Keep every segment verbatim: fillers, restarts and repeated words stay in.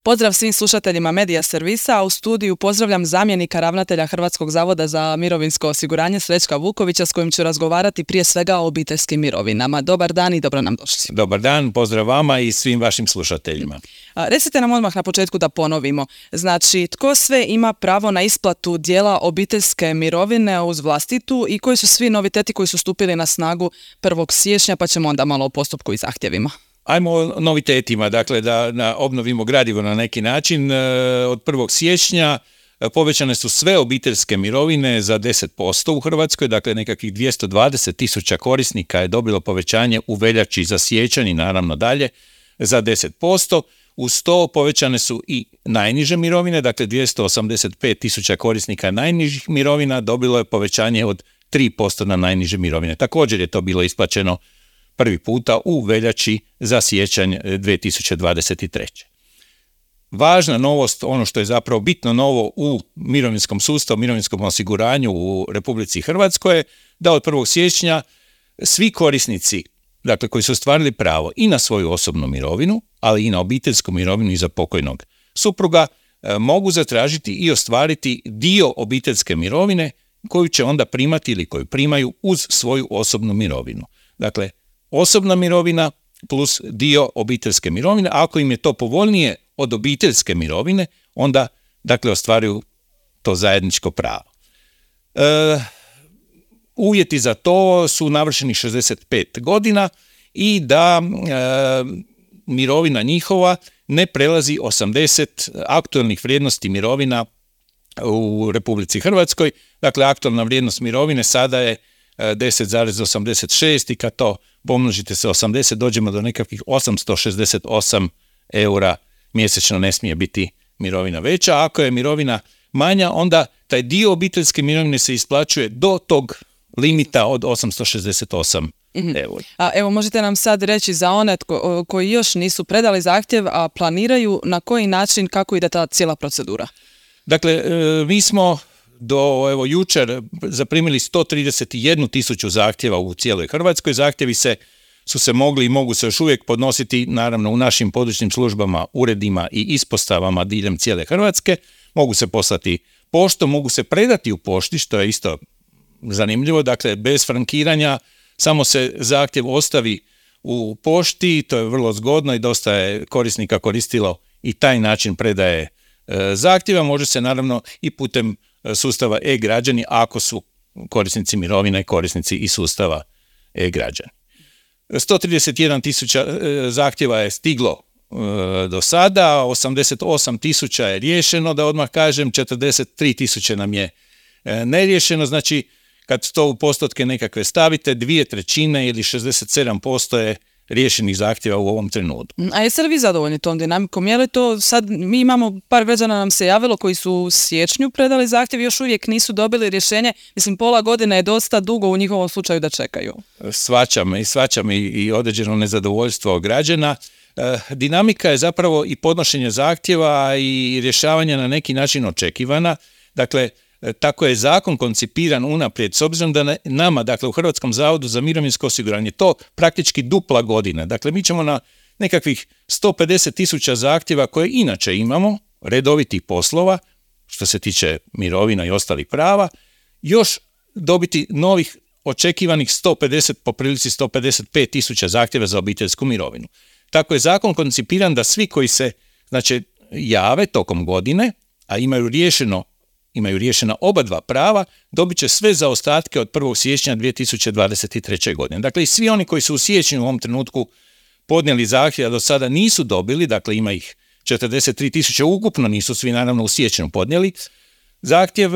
Pozdrav svim slušateljima Medija servisa, a u studiju pozdravljam zamjenika ravnatelja Hrvatskog zavoda za mirovinsko osiguranje Srećka Vukovića s kojim ću razgovarati prije svega o obiteljskim mirovinama. Dobar dan i dobro nam došli. Dobar dan, pozdrav vama i svim vašim slušateljima. A, recite nam odmah na početku da ponovimo. Znači, tko sve ima pravo na isplatu dijela obiteljske mirovine uz vlastitu i koji su svi noviteti koji su stupili na snagu prvog siječnja, pa ćemo onda malo o postupku i zahtjevima. Ajmo o novitetima, dakle da, da obnovimo gradivo na neki način. Od prvog siječnja povećane su sve obiteljske mirovine za deset posto u Hrvatskoj, dakle nekakvih dvjesto dvadeset tisuća korisnika je dobilo povećanje u veljači za siječanj i naravno dalje za deset posto. Uz to povećane su i najniže mirovine, dakle dvjesto osamdeset pet tisuća korisnika najnižih mirovina dobilo je povećanje od tri posto na najniže mirovine. Također je to bilo isplaćeno prvi puta u veljači za siječanj dvije tisuće dvadeset treće. Važna novost, ono što je zapravo bitno novo u mirovinskom sustavu, mirovinskom osiguranju u Republici Hrvatskoj je da od prvog siječnja svi korisnici, dakle koji su ostvarili pravo i na svoju osobnu mirovinu, ali i na obiteljsku mirovinu iza pokojnog supruga, mogu zatražiti i ostvariti dio obiteljske mirovine koju će onda primati ili koju primaju uz svoju osobnu mirovinu. Dakle, osobna mirovina plus dio obiteljske mirovine, ako im je to povoljnije od obiteljske mirovine, onda dakle ostvaruju to zajedničko pravo. E, uvjeti za to su navršenih šezdeset pet godina i da e, mirovina njihova ne prelazi osamdeset aktualnih vrijednosti mirovina u Republici Hrvatskoj. Dakle, aktualna vrijednost mirovine sada je deset zarez osamdeset šest i kad to pomnožite sa osamdeset dođemo do nekakvih osamsto šezdeset osam eura mjesečno, ne smije biti mirovina veća. A ako je mirovina manja, onda taj dio obiteljske mirovine se isplaćuje do tog limita od osamsto šezdeset osam eura. A evo, možete nam sad reći za one tko, koji još nisu predali zahtjev, a planiraju na koji način, kako ide ta cijela procedura? Dakle, mi smo do evo jučer zaprimili sto trideset jednu tisuću zahtjeva u cijeloj Hrvatskoj. Zahtjevi se, su se mogli i mogu se još uvijek podnositi naravno u našim područnim službama, uredima i ispostavama diljem cijele Hrvatske. Mogu se poslati poštom, mogu se predati u pošti, što je isto zanimljivo. Dakle, bez frankiranja, samo se zahtjev ostavi u pošti, to je vrlo zgodno i dosta je korisnika koristilo i taj način predaje e, zahtjeva. Može se naravno i putem sustava e-građani ako su korisnici mirovina i korisnici i sustava e-građani. sto trideset jedna tisuća zahtjeva je stiglo e, do sada, osamdeset osam tisuća je riješeno, da odmah kažem, četrdeset tri tisuće nam je e, neriješeno, znači kad to u postotke nekakve stavite, dvije trećine ili šezdeset sedam posto je riješenih zahtjeva u ovom trenutku. A jeste li vi zadovoljni tom dinamikom? Je li to sad, mi imamo par građana nam se javilo koji su u siječnju predali zahtjev, još uvijek nisu dobili rješenje. Mislim, pola godine je dosta dugo u njihovom slučaju da čekaju. Svačam i svačam i, i određeno nezadovoljstvo građana. E, dinamika je zapravo i podnošenje zahtjeva i rješavanja na neki način očekivana. Dakle, tako je zakon koncipiran unaprijed, s obzirom da nama, dakle u Hrvatskom zavodu za mirovinsko osiguranje, to praktički dupla godina. Dakle, mi ćemo na nekakvih sto pedeset tisuća zahtjeva koje inače imamo, redovitih poslova, što se tiče mirovina i ostalih prava, još dobiti novih očekivanih sto pedeset, po prilici sto pedeset pet tisuća zahtjeva za obiteljsku mirovinu. Tako je zakon koncipiran da svi koji se, znači, jave tokom godine, a imaju riješeno imaju riješena oba dva prava, dobit će sve zaostatke od prvog siječnja dvije tisuće dvadeset treće. godine. Dakle, i svi oni koji su u siječnju u ovom trenutku podnijeli zahtjev, a do sada nisu dobili, dakle ima ih četrdeset tri tisuće ukupno, nisu svi naravno u siječnju podnijeli zahtjev,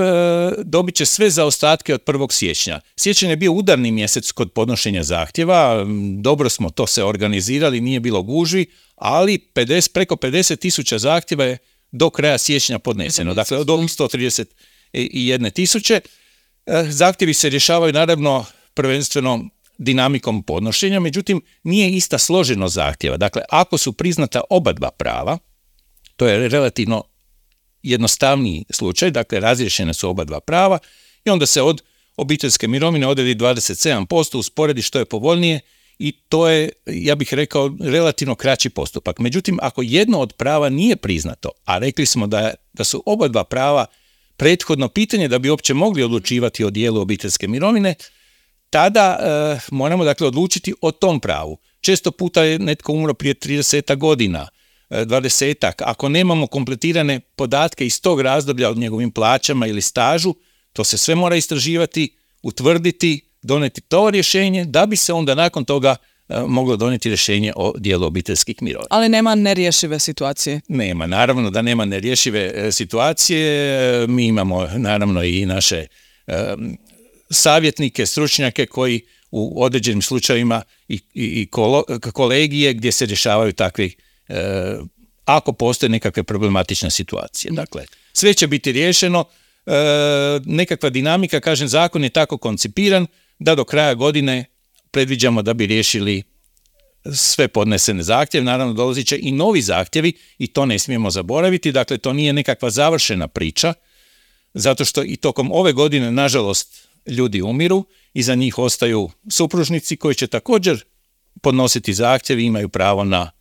dobit će sve zaostatke od prvog siječnja. Siječanj je bio udarni mjesec kod podnošenja zahtjeva, dobro smo to se organizirali, nije bilo gužvi, ali pedeset, preko pedeset tisuća zahtjeva je do kraja siječnja podneseno, dakle od ovih sto trideset jedne tisuće. Zahtjevi se rješavaju naravno prvenstveno dinamikom podnošenja, međutim nije ista složenost zahtjeva. Dakle, ako su priznata oba dva prava, to je relativno jednostavniji slučaj, dakle razriješene su oba dva prava i onda se od obiteljske mirovine odredi dvadeset sedam posto, usporedi što je povoljnije i to je, ja bih rekao, relativno kraći postupak. Međutim, ako jedno od prava nije priznato, a rekli smo da, da su oba dva prava prethodno pitanje da bi uopće mogli odlučivati o dijelu obiteljske mirovine, tada e, moramo dakle odlučiti o tom pravu. Često puta je netko umro prije trideset godina, dvadesetak. Ako nemamo kompletirane podatke iz tog razdoblja o njegovim plaćama ili stažu, to se sve mora istraživati, utvrditi, doneti to rješenje, da bi se onda nakon toga e, moglo donijeti rješenje o dijelu obiteljskih mirovina. Ali nema nerješive situacije? Nema, naravno da nema nerješive e, situacije. Mi imamo naravno i naše e, savjetnike, stručnjake koji u određenim slučajevima i, i, i kolo, kolegije gdje se rješavaju takvi e, ako postoje nekakve problematične situacije. Dakle, sve će biti riješeno. E, nekakva dinamika, kažem, zakon je tako koncipiran da do kraja godine predviđamo da bi riješili sve podnesene zahtjeve. Naravno, dolazit će i novi zahtjevi i to ne smijemo zaboraviti. Dakle, to nije nekakva završena priča, zato što i tokom ove godine, nažalost, ljudi umiru i za njih ostaju supružnici koji će također podnositi zahtjev i imaju pravo na...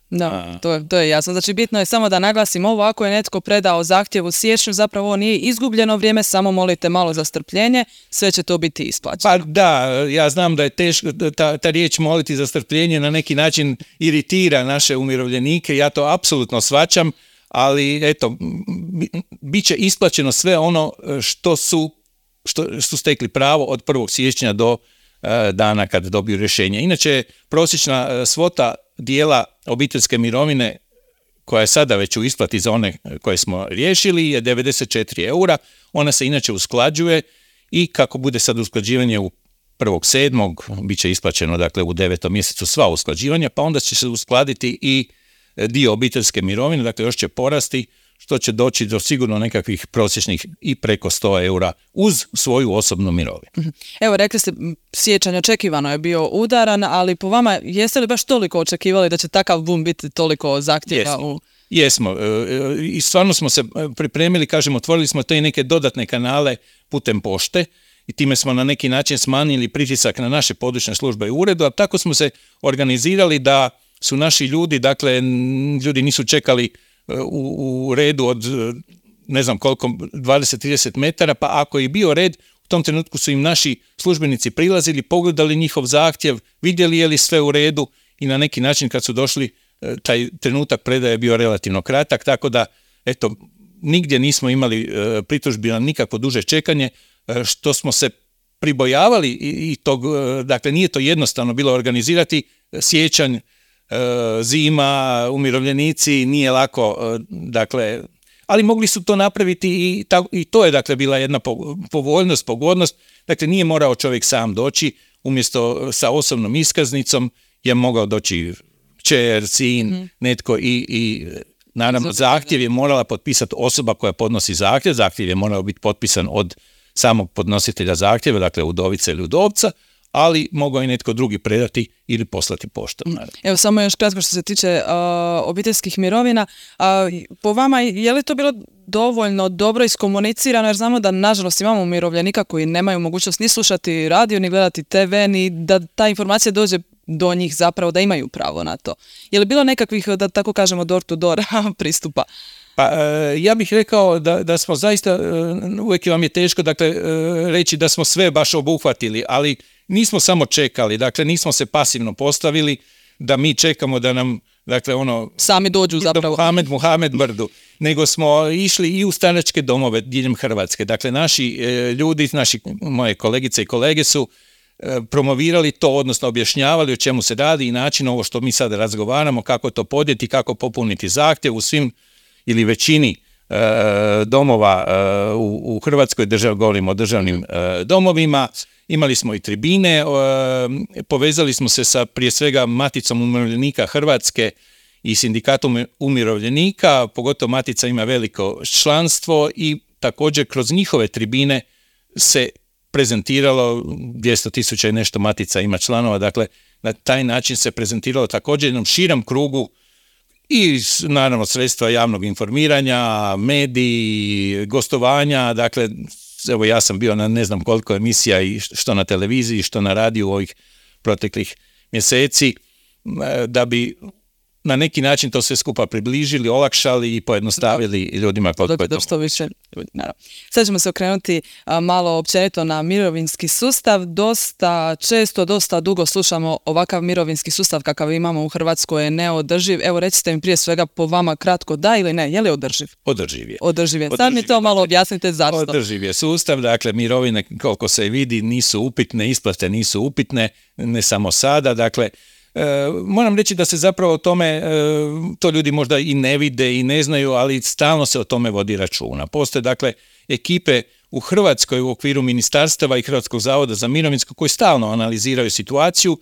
Da, to je, to je jasno. Znači, bitno je samo da naglasim ovo, ako je netko predao zahtjev u siječnju, zapravo ovo nije izgubljeno vrijeme, samo molite malo za strpljenje, sve će to biti isplaćeno. Pa da, ja znam da je teško, ta, ta riječ moliti za strpljenje na neki način iritira naše umirovljenike, ja to apsolutno shvaćam, ali eto, bit će isplaćeno sve ono što su, što su stekli pravo od prvog siječnja do dana kad dobiju rješenje. Inače, prosječna svota dijela obiteljske mirovine koja je sada već u isplati za one koje smo riješili je devedeset četiri eura. Ona se inače usklađuje i kako bude sad usklađivanje u prvog sedmog bit će isplaćeno dakle u devetom mjesecu sva usklađivanja, pa onda će se uskladiti i dio obiteljske mirovine, dakle još će porasti, što će doći do sigurno nekakvih prosječnih i preko sto eura uz svoju osobnu mirovinu. Evo, rekli ste, siječanj očekivano je bio udaran, ali po vama jeste li baš toliko očekivali da će takav bum biti toliko zahtjeva? Jesmo. U... Jesmo. I stvarno smo se pripremili, kažem, otvorili smo te neke dodatne kanale putem pošte i time smo na neki način smanjili pritisak na naše područne službe i uredu, a tako smo se organizirali da su naši ljudi, dakle, ljudi nisu čekali U, u redu od ne znam koliko, dvadeset do trideset metara, pa ako je bio red, u tom trenutku su im naši službenici prilazili, pogledali njihov zahtjev, vidjeli je li sve u redu i na neki način kad su došli, taj trenutak predaje je bio relativno kratak, tako da eto, nigdje nismo imali pritužbi na nikakvo duže čekanje, što smo se pribojavali i tog, dakle nije to jednostavno bilo organizirati, siječanj, zima, umirovljenici, nije lako, dakle, ali mogli su to napraviti i, ta, i to je dakle bila jedna povoljnost, pogodnost, dakle nije morao čovjek sam doći, umjesto sa osobnom iskaznicom je mogao doći kćer, sin, mm. netko i, i naravno zahtjev je morala potpisati osoba koja podnosi zahtjev, zahtjev je morao biti potpisan od samog podnositelja zahtjeva, dakle udovice ili udovca, ali mogao i netko drugi predati ili poslati poštom. Evo, samo još kratko što se tiče uh, obiteljskih mirovina. Uh, po vama, je li to bilo dovoljno dobro iskomunicirano, jer znamo da nažalost imamo umirovljenika koji nemaju mogućnost ni slušati radio, ni gledati te ve, ni da ta informacija dođe do njih zapravo, da imaju pravo na to. Je li bilo nekakvih, da tako kažemo, door to door pristupa? Pa ja bih rekao da, da smo zaista, uvijek vam je teško dakle, reći da smo sve baš obuhvatili, ali nismo samo čekali, dakle nismo se pasivno postavili da mi čekamo da nam, dakle ono... Sami dođu zapravo. Muhamed, Muhamed brdu. Nego smo išli i u staračke domove diljem Hrvatske. Dakle, naši e, ljudi, naši, moje kolegice i kolege su e, promovirali to, odnosno objašnjavali o čemu se radi i način ovo što mi sad razgovaramo, kako to podnijeti, kako popuniti zahtjev u svim ili većini e, domova e, u, u Hrvatskoj, držav, govorimo o državnim e, domovima. Imali smo i tribine, e, povezali smo se sa prije svega Maticom umirovljenika Hrvatske i Sindikatom umirovljenika, pogotovo Matica ima veliko članstvo i također kroz njihove tribine se prezentiralo, dvjesto tisuća i nešto Matica ima članova, dakle na taj način se prezentiralo također jednom širom krugu i naravno sredstva javnog informiranja, mediji, gostovanja, dakle evo ja sam bio na ne znam koliko emisija i što na televiziji, što na radiju ovih proteklih mjeseci da bi na neki način to sve skupa približili, olakšali i pojednostavili ljudima. Dok, dok što više ljudi, naravno. Sad ćemo se okrenuti a, malo općenito na mirovinski sustav. Dosta često, dosta dugo slušamo ovakav mirovinski sustav kakav imamo u Hrvatskoj je neodrživ. Evo recite mi prije svega po vama kratko da ili ne, je li održiv? Održiv je. Održiv je. Sad mi to malo objasnite zašto. Održiv je sustav, dakle mirovine koliko se vidi nisu upitne, isplate nisu upitne, ne samo sada, dakle E, moram reći da se zapravo o tome, e, to ljudi možda i ne vide i ne znaju, ali stalno se o tome vodi računa. Postoje dakle ekipe u Hrvatskoj u okviru ministarstava i Hrvatskog zavoda za mirovinsko koji stalno analiziraju situaciju,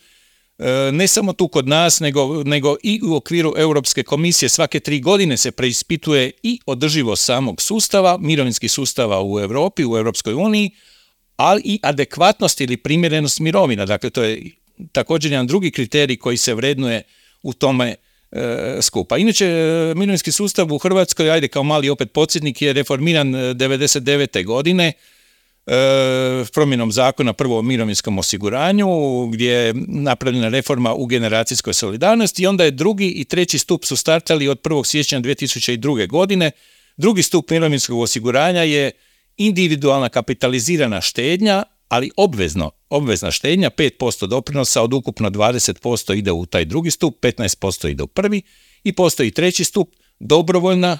e, ne samo tu kod nas, nego, nego i u okviru Europske komisije. Svake tri godine se preispituje i održivost samog sustava, mirovinskih sustava u Europi, u Europskoj uniji, ali i adekvatnost ili primjerenost mirovina. Dakle, to je također jedan drugi kriterij koji se vrednuje u tome e, skupa. Inače, mirovinski sustav u Hrvatskoj, ajde kao mali opet podsjetnik, je reformiran devedeset devete godine e, promjenom zakona prvo o mirovinskom osiguranju, gdje je napravljena reforma u generacijskoj solidarnosti i onda je drugi i treći stup su startali od prvog siječnja dvije tisuće druge. godine. Drugi stup mirovinskog osiguranja je individualna kapitalizirana štednja, ali obvezno, obvezna štednja, pet posto doprinosa od ukupno dvadeset posto ide u taj drugi stup, petnaest posto ide u prvi i postoji treći stup, dobrovoljna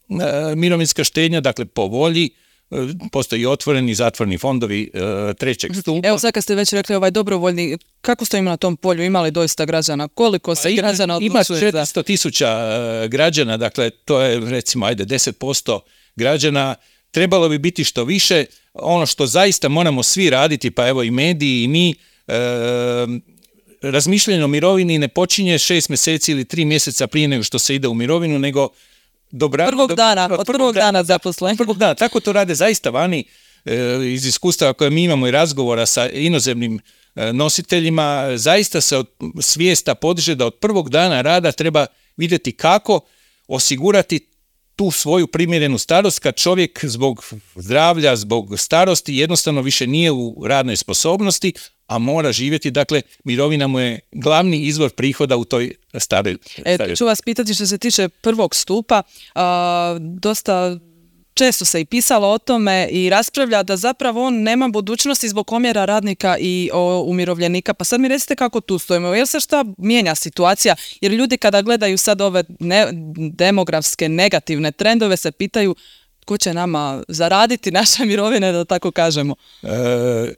e, mirovinska štednja, dakle po volji, e, postoji otvoreni i zatvoreni fondovi e, trećeg stupa. Evo sad kad ste već rekli ovaj dobrovoljni, kako stojimo na tom polju, imali doista građana, koliko se ima, građana odlučuje? Ima četiristo tisuća e, građana, dakle to je recimo ajde deset posto građana. Trebalo bi biti što više. Ono što zaista moramo svi raditi, pa evo i mediji i mi, e, razmišljanje o mirovini ne počinje šest mjeseci ili tri mjeseca prije nego što se ide u mirovinu, nego dobra, prvog dana, od, od prvog dana, dana zaposlen. Prvog dana, tako to rade zaista vani e, iz iskustava koje mi imamo i razgovora sa inozemnim e, nositeljima, zaista se od svijesta podiže da od prvog dana rada treba vidjeti kako osigurati tu svoju primjerenu starost kad čovjek zbog zdravlja, zbog starosti jednostavno više nije u radnoj sposobnosti, a mora živjeti, dakle mirovina mu je glavni izvor prihoda u toj staroj. E, ću vas pitati što se tiče prvog stupa, a, dosta često se i pisalo o tome i raspravlja da zapravo on nema budućnosti zbog omjera radnika i o, umirovljenika. Pa sad mi recite kako tu stojimo. Jel se šta mijenja situacija? Jer ljudi kada gledaju sad ove ne, demografske negativne trendove se pitaju ko će nama zaraditi naše mirovine, da tako kažemo. E,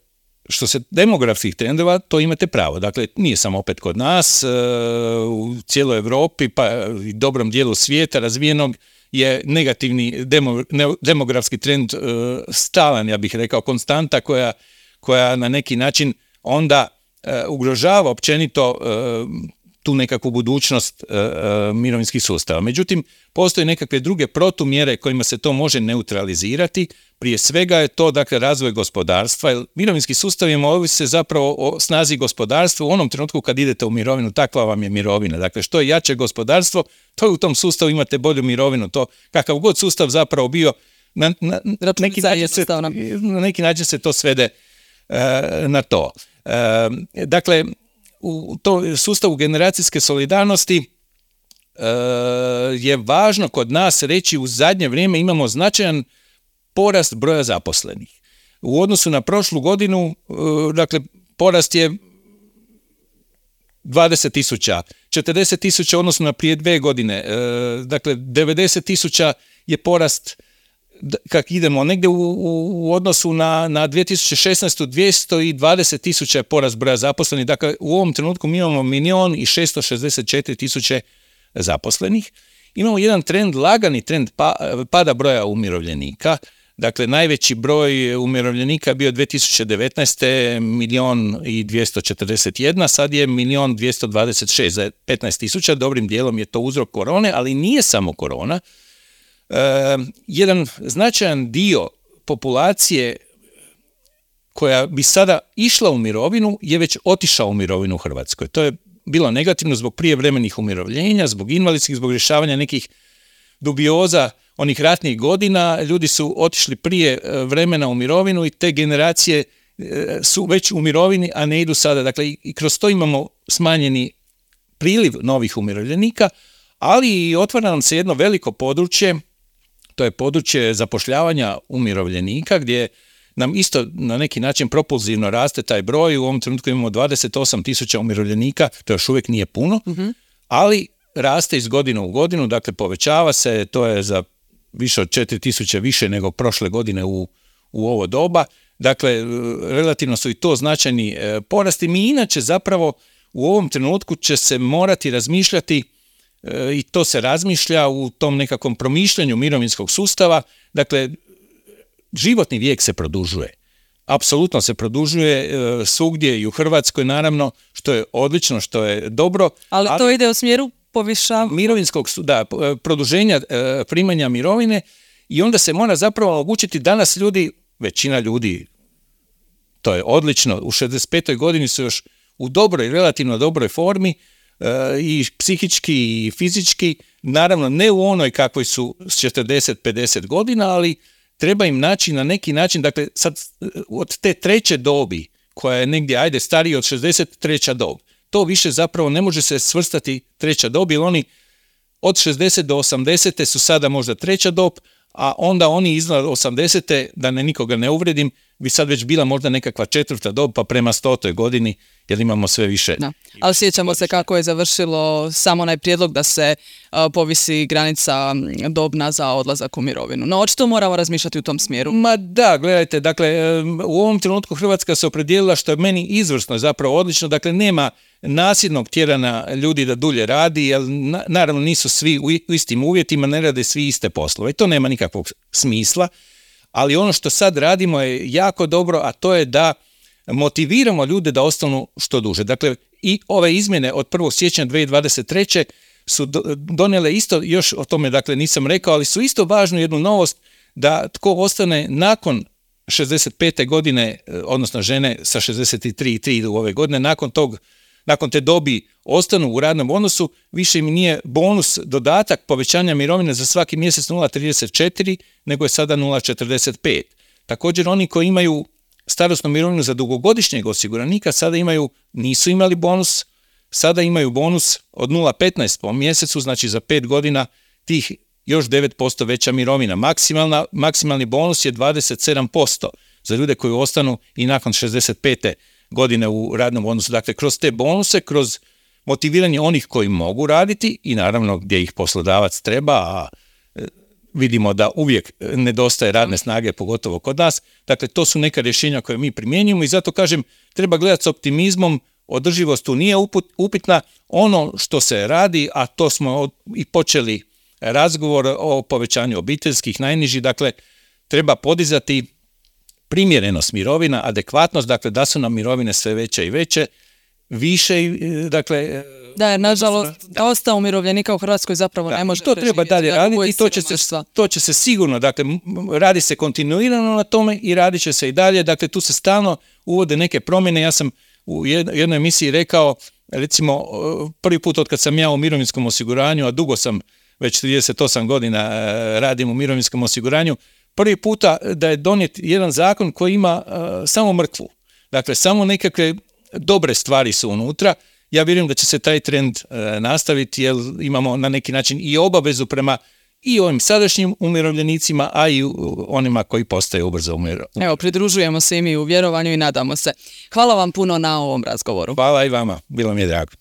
što se demografskih trendova, to imate pravo. Dakle, nije samo opet kod nas, e, u cijeloj Europi pa i dobrom dijelu svijeta razvijenog je negativni demo, ne, demografski trend e, stalan, ja bih rekao, konstanta koja, koja na neki način onda e, ugrožava općenito e, tu nekakvu budućnost e, e, mirovinskih sustava. Međutim, postoje nekakve druge protumjere kojima se to može neutralizirati. Prije svega je to, dakle, razvoj gospodarstva, jer mirovinski sustavima ovise zapravo o snazi gospodarstva. U onom trenutku kad idete u mirovinu, takva vam je mirovina. Dakle, što je jače gospodarstvo, to je u tom sustavu imate bolju mirovinu. To, kakav god sustav zapravo bio, na, na, neki, način se, na neki način se to svede uh, na to. Uh, dakle, u to sustavu generacijske solidarnosti uh, je važno kod nas reći u zadnje vrijeme imamo značajan porast broja zaposlenih. U odnosu na prošlu godinu, uh, dakle, porast je dvadeset tisuća, četrdeset tisuća odnosno na prije dve godine, uh, dakle, devedeset tisuća je porast, kak idemo negdje u, u, u odnosu na, na dvije tisuće šesnaestu. dvjesto dvadeset tisuća je porast broja zaposlenih, dakle u ovom trenutku mi imamo milijon i šesto šezdeset četiri tisuće zaposlenih. Imamo jedan trend, lagani trend pa, pada broja umirovljenika, dakle najveći broj umirovljenika je bio dvije tisuće devetnaeste. milijon i dvjesto četrdeset jedan, sad je milijon dvjesto dvadeset šest, za petnaest tisuća, dobrim dijelom je to uzrok korone, ali nije samo korona. Uh, jedan značajan dio populacije koja bi sada išla u mirovinu je već otišao u mirovinu u Hrvatskoj. To je bilo negativno zbog prijevremenih umirovljenja, zbog invalidskih, zbog rješavanja nekih dubioza onih ratnih godina. Ljudi su otišli prije vremena u mirovinu i te generacije su već u mirovini, a ne idu sada. Dakle, i kroz to imamo smanjeni priliv novih umirovljenika, ali i otvara nam se jedno veliko područje, to je područje zapošljavanja umirovljenika, gdje nam isto na neki način propulzivno raste taj broj. U ovom trenutku imamo dvadeset osam tisuća umirovljenika, to još uvijek nije puno, mm-hmm. ali raste iz godine u godinu, dakle povećava se, to je za više od četiri tisuće više nego prošle godine u, u ovo doba. Dakle, relativno su i to značajni e, porasti. Mi inače zapravo u ovom trenutku će se morati razmišljati e, i to se razmišlja u tom nekakvom promišljanju mirovinskog sustava. Dakle, životni vijek se produžuje. Apsolutno se produžuje e, svugdje i u Hrvatskoj, naravno, što je odlično, što je dobro. Ali, ali to ide u smjeru povišavanja mirovinskog, da, produženja e, primanja mirovine i onda se mora zapravo omogućiti danas ljudi, većina ljudi, to je odlično, u šezdeset petoj godini su još u dobroj, relativno dobroj formi e, i psihički i fizički, naravno ne u onoj kakvoj su s četrdeset pedeset godina, ali treba im naći na neki način, dakle sad od te treće dobi, koja je negdje, ajde, stariji od šezdeset, treća dob, to više zapravo ne može se svrstati treća dob, jer oni od šezdeset do osamdeset su sada možda treća dob, a onda oni iznad osamdesete, da ne nikoga ne uvredim, bi sad već bila možda nekakva četvrta dob, pa prema stotoj godini, jer imamo sve više. Da. Ali sjećamo se kako je završilo samo onaj prijedlog da se uh, povisi granica dobna za odlazak u mirovinu. No, očito moramo razmišljati u tom smjeru. Ma da, gledajte, dakle, u ovom trenutku Hrvatska se opredijelila, što je meni izvrsno, zapravo odlično, dakle, nema nasilnog tjerana ljudi da dulje radi, jer na, naravno nisu svi u istim uvjetima, ne rade svi iste poslove i to nema nikakvog smisla, ali ono što sad radimo je jako dobro, a to je da motiviramo ljude da ostanu što duže. Dakle, i ove izmjene od prvog siječnja dvije tisuće dvadeset treće su donijele isto, još o tome dakle nisam rekao, ali su isto važnu jednu novost, da tko ostane nakon šezdeset pete godine, odnosno žene sa šezdeset tri i tri u ove godine, nakon tog nakon te dobi ostanu u radnom odnosu, više im nije bonus dodatak povećanja mirovine za svaki mjesec nula zarez trideset četiri, nego je sada nula zarez četrdeset pet. Također oni koji imaju starosnu mirovinu za dugogodišnjeg osiguranika sada imaju, nisu imali bonus, sada imaju bonus od nula zarez petnaest po mjesecu, znači za pet godina tih još devet posto veća mirovina. Maksimalna, maksimalni bonus je dvadeset sedam posto za ljude koji ostanu i nakon šezdeset pete godine u radnom odnosu. Dakle, kroz te bonuse, kroz motiviranje onih koji mogu raditi i naravno gdje ih poslodavac treba, a vidimo da uvijek nedostaje radne snage, pogotovo kod nas. Dakle, to su neka rješenja koje mi primjenjujemo i zato kažem, treba gledati s optimizmom, održivost tu nije upitna. Ono što se radi, a to smo i počeli razgovor o povećanju obiteljskih najnižih, dakle, treba podizati primjerenost mirovina, adekvatnost, dakle da su nam mirovine sve veće i veće, više, dakle... Da, jer nažalost, dosta umirovljenika u Hrvatskoj zapravo da, ne može to treba dalje raditi i to će, se, to će se sigurno, dakle, radi se kontinuirano na tome i radit će se i dalje, dakle tu se stalno uvode neke promjene. Ja sam u jednoj emisiji rekao, recimo, prvi put od kad sam ja u mirovinskom osiguranju, a dugo sam, već trideset osam godina radim u mirovinskom osiguranju, prvi puta da je donijet jedan zakon koji ima uh, samo mrkvu. Dakle, samo nekakve dobre stvari su unutra. Ja vjerujem da će se taj trend uh, nastaviti, jer imamo na neki način i obavezu prema i ovim sadašnjim umirovljenicima, a i onima koji postaju ubrzo umirovljenici. Evo, pridružujemo se i mi u vjerovanju i nadamo se. Hvala vam puno na ovom razgovoru. Hvala i vama, bilo mi je drago.